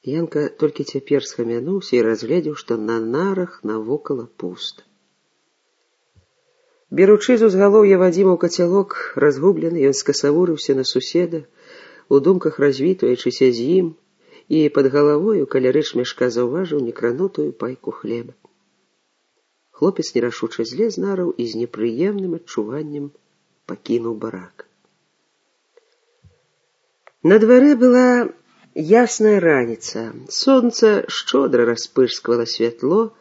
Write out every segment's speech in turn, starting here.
Янка толькі цяпер схамянуўся і разгледзеў, што на нарах навокала пуста. Беручы з узгалоўя Вадзіма ў кацялок разгублены, ён скасавурыўся на суседа, у думках развітваючыся з ім, і пад галавою каля рэчмяшка заўважыў некранутую пайку хлеба. Хлопец нерашуча злез з нараў і з непрыемным адчуваннем пакінуў барак. На дварэ была ясная раніца. Сонца шчодра распырсквала святло.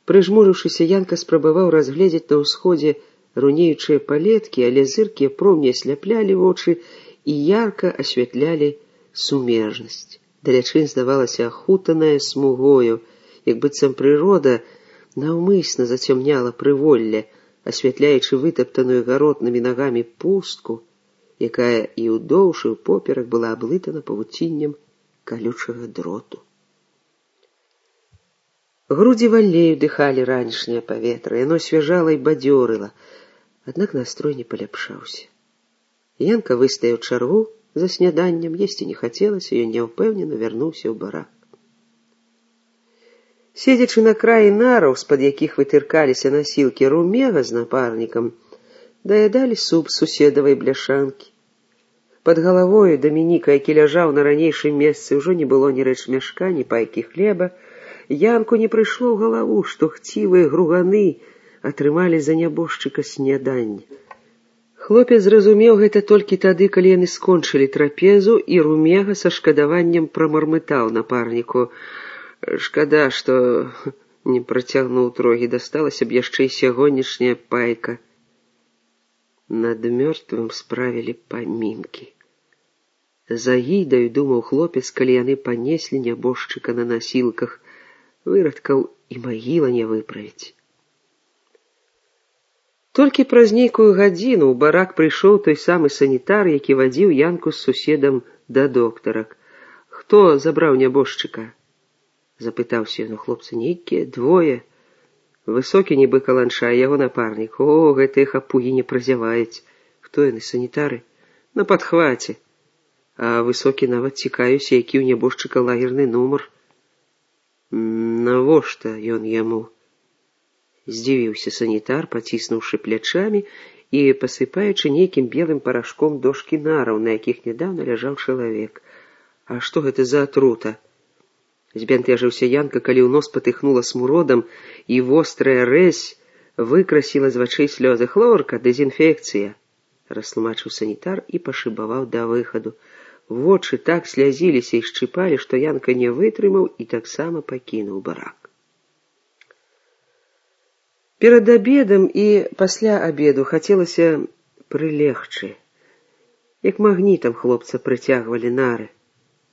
Прыжмурыўшыся, Янка спрабаваў разгледзець на ўсходзе рунеючыя палеткі, але зыркія промні асляплялі вочы і ярка асвятлялі сумежнасць. Далячынь здавалася ахутаная смугою, як быццам прырода наўмысна зацямняла прыволле, асвятляючы вытаптаную гаротнымі нагамі пустку, якая і ўдоўж і ўпоперак была аблытана павуціннем калючага дроту. Грудзі вальней удыхалі ранішняе паветра, яно свяжала і бадзёрыла, аднак настрой не паляпшаўся. Янка выстаяў чаргу за сняданнем, есці не хацелася, ён няўпэўнена вярнуўся ў барак. Седзячы на краі нараў, з-пад якіх вытыркаліся насілкі Румега з напарнікам, даядалі суп з суседавай бляшанкі. Пад галавою Дамініка, які ляжаў на ранейшым месцы, ўжо не было ні рэчмяшка, ні пайкі хлеба. Янку не прыйшло ў галаву, што хцівыя груганы атрымалі за нябожчыка сняданне. Хлопец зразумеў гэта толькі тады, калі яны скончылі трапезу, і Румега са шкадаваннем прамармытаў напарніку: «Шкада, што не працягнуў трогі, дасталася б яшчэ і сягонняшняя пайка». Над мёртвым справілі памінкі. За гідаю, думаў хлопец, калі яны панеслі нябожчыка на насілках, вырадкаў і магіла не выправіць. Толькі праз нейкую гадзіну ў барак прыйшоў той самы санітар, які вадзіў Янку з суседам да доктара. «Хто забраў нябожчыка?» — запытаўся ён у хлопца. «Нейкія двое. Высокі нібы каланча, яго напарнік. О, гэтыя хапугі не празяваюць. Хто яны, санітары? На падхваце. А высокі нават цікаюся, які ў нябожчыка лагерны нумар». «Навошта ён яму?» — здзівіўся санітар, паціснуўшы плячамі і пасыпаючы нейкім белым парашком дошкі нараў, на якіх нядаўна ляжаў чалавек. «А што гэта за атрута?» Збянтэжыўся Янка, калі ў нос патыхнула смуродам, і вострая рэзь выкрасіла з вачэй слёзы. «Хлорка, дэзінфекцыя», — растлумачыў санітар і пашыбаваў да выхаду. Вочы так слязіліся і шчыпалі, што Янка не вытрымаў і таксама пакінуў барак. Перад абедам і пасля абеду хацелася прылегчы. Як магнітам хлопца прыцягвалі нары.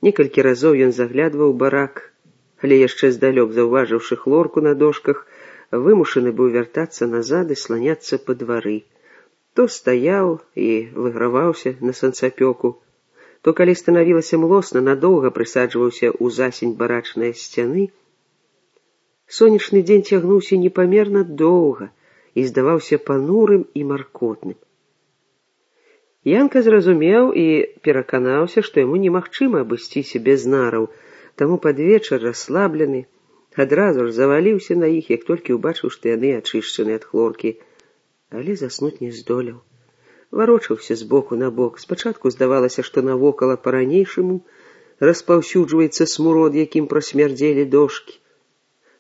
Некалькі разоў ён заглядваў барак, але яшчэ здалёк заўважыўшы хлорку на дошках, вымушаны быў вяртацца назад і сланяцца па двары. То стаяў і выграваўся на санцапёку, то, калі станавілася млосна, надоўга прысаджваўся ў засень барачнай сцяны. Сонечны дзень цягнуўся непамерна доўга і здаваўся панурым і маркотным. Янка зразумеў і пераканаўся, што яму немагчыма абысціся без нараў, таму пад вечар, расслаблены, адразу ж заваліўся на іх, як толькі ўбачыў, што яны ачышчаны ад хлоркі, але заснуць не здолеў. Варочаўся з боку на бок. Спачатку здавалася, што навокала па-ранейшаму распаўсюджваецца смурод, якім прасмярдзелі дошкі.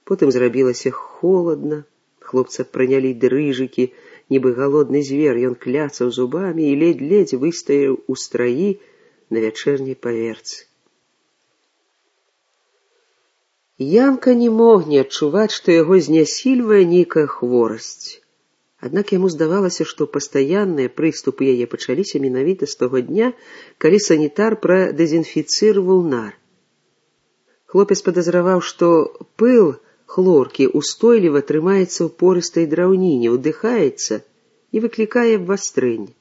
Потым зрабілася холадна, хлопца пранялі дрыжыкі, нібы галодны звер, ён кляцаў зубамі і ледзь-ледзь выстаяў у страі на вячэрняй паверцы. Янка не мог не адчуваць, што яго знясільвае нейкая хворасць. Аднак яму здавалася, што пастаянныя прыступы яе пачаліся менавіта з таго дня, калі санітар прадэзінфіцыраваў нар. Хлопец падазраваў, што пыл хлоркі устойліва трымаецца ў порыстай драўніне, удыхаецца і выклікае абвастрэнне.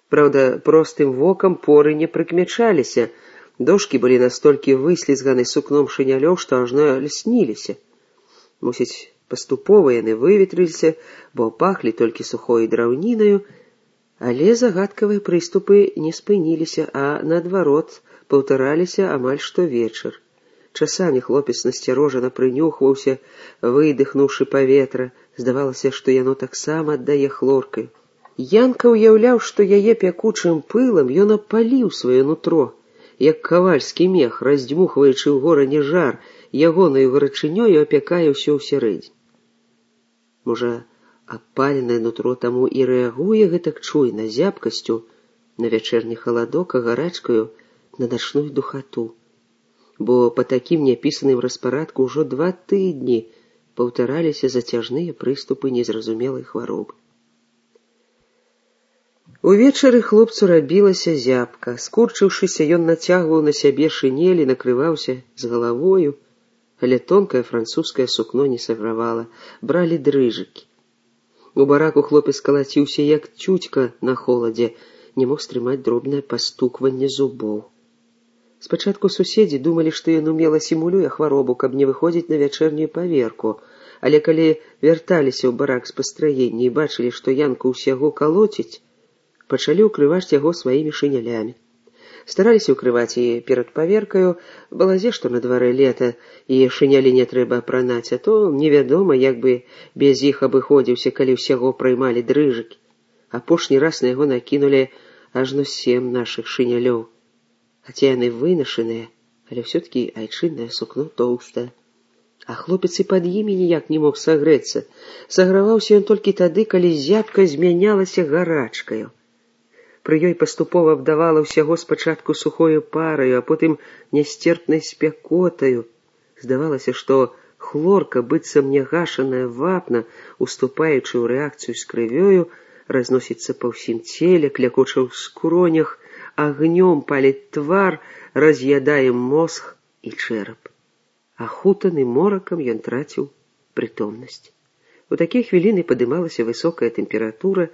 Праўда, простым вокам поры не прыкмячаліся, дошкі былі настолькі выслізганы сукном шынялёў, што ажно лясніліся. Мусіць, паступова яны выветрыліся, бо пахлі толькі сухой драўнінаю, але загадкавыя прыступы не спыніліся, а наадварот паўтараліся амаль штовечар. Часамі хлопец насцярожана прынюхваўся, выдыхнуўшы паветра. Здавалася, што яно таксама аддае хлоркай. Янка ўяўляў, што яе пякучым пылам ён апаліў сваё нутро, як кавальскі мех, раздзьмухваючы ў горані жар, ягонаю гарачынёю апякае ўсё ўсярэдзіне. Можа, апаленае нутро таму і рэагуе гэтак чуйна, зябкасцю на вячэрні халадок, а гарачкаю на начную духату. Бо па такім няпісаным распарадку ўжо 2 тыдні паўтараліся зацяжныя прыступы незразумелай хваробы. Увечары хлопцу рабілася зябка. Скурчыўшыся, ён нацягваў на сябе шынель і накрываўся з галавою, але тонкае французскае сукно не сагравала, бралі дрыжыкі. У бараку хлопец калаціўся, як цюцька на холадзе, не мог стрымаць дробнае пастукванне зубоў. Спачатку суседзі думалі, што ён умела сімулюе хваробу, каб не выходзіць на вячэрнюю паверку, але калі вярталіся ў барак з пастраення і бачылі, што Янку ўсяго калоціць, пачалі ўкрываць яго сваімі шынялямі. Стараліся ўкрываць і перад паверкаю, балазе, што на дварэ лета, і шынялі не трэба апранаць, а то невядома, як бы без іх абыходзіўся, калі ўсяго праймалі дрыжыкі. Апошні раз на яго накінулі ажно 7 нашых шынялёў. Хаця яны вынашаныя, але ўсё-ткі айчыннае сукно тоўстае. А хлопец і пад імі ніяк не мог сагрэцца. Саграваўся ён толькі тады, калі зябка змянялася гарачкаю. Пры ёй паступова абдавала ўсяго спачатку сухою параю, а потым нясцерпнай спякотаю. Здавалася, што хлорка, быццам нягашаная вапна, уступаючы ў рэакцыю з крывёю, разносіцца па ўсім целе, клякоча ў скронях, агнём паліць твар, раз'ядае мозг і чэрап. Ахутаны моракам ён траціў прытомнасць. У такія хвіліны падымалася высокая тэмпература,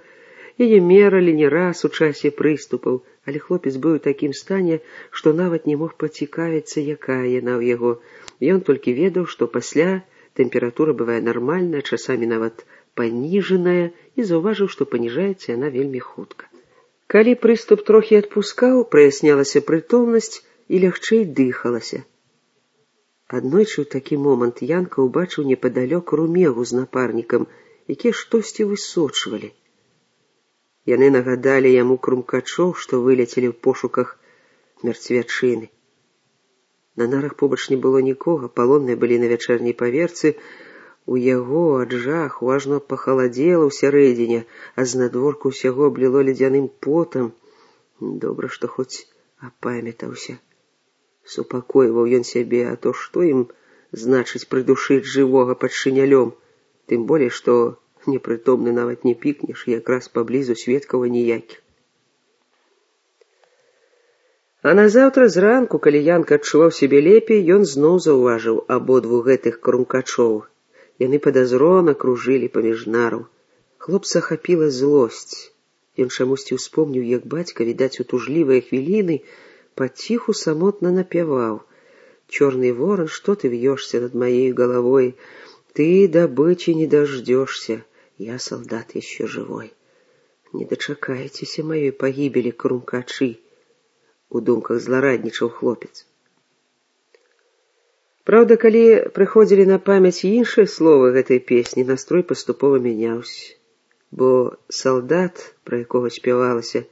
яе мералі не раз у часе прыступаў, але хлопец быў у такім стане, што нават не мог пацікавіцца, якая яна ў яго. Ён толькі ведаў, што пасля тэмпература бывае нармальная, часамі нават паніжаная, і заўважыў, што паніжаецца яна вельмі хутка. Калі прыступ трохі адпускаў, праяснялася прытомнасць і лягчэй дыхалася. Аднойчы ў такі момант Янка ўбачыў непадалёк румегу з напарнікам, якія штосьці высочвалі. Яны нагадалі яму крумкачоў, што вылецелі ў пошуках мерцвячыны. На нарах побач не было нікога, палонныя былі на вячэрняй паверцы. У яго ад жаху ажно пахаладзела ўсярэдзіне, а знадворку ўсяго абліло ледзяным потам. Добра, што хоць апамятаўся. Супакойваў ён сябе, а то што ім значыць прыдушыць жывога пад шынялём, тым болей, што непрытомны нават не пікнеш, якраз паблізу сведкаў ніякіх. А назаўтра зранку, калі Янка адчуваў сябе лепей, ён зноў заўважыў абодвух гэтых крумкачоў. Яны падазрона кружылі паміж нараў. Хлопца ахапіла злосць. Ён чамусьці ўспомніў, як бацька, відаць, у тужлівыя хвіліны паціху самотна напяваў: «Чёрный ворон, что ты вьешься над моей головой? Ты добычи не дождешься. Я солдат еще живой. Не дочакаетеся моей погибели, крумкачы!» У думках злараднічаў хлопец. Праўда, калі прыходзілі на памяць іншыя словы гэтай песні, настрой паступова мяняўся. Бо салдат, пра якога спявалася,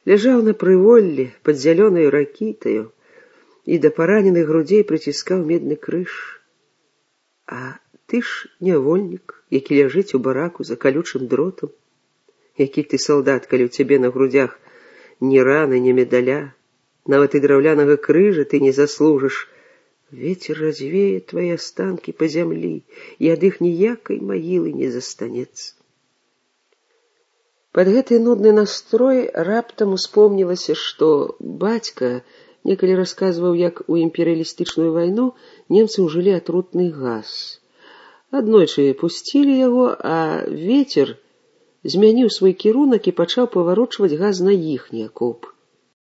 ляжаў на прыволлі пад зялёнаю ракітаю і да параненых грудзей прыціскаў медны крыж. А ты ж нявольнік, які ляжыць у бараку за калючым дротам. Які ты салдат, калі ў цябе на грудзях ні раны, ні медаля, нават і драўлянага крыжа ты не заслужыш. Ветер развее твои останки по зямлі, і ад іх ніякай магілы не застанецца. Пад гэты нудны настрой раптам успомнілася, што бацька некалі расказваў, як у імперыялістычную вайну немцы ўжылі атрутны газ. Аднойчы пусцілі яго, а ветер змяніў свой кірунак і пачаў паварочваць газ на іхні акопы.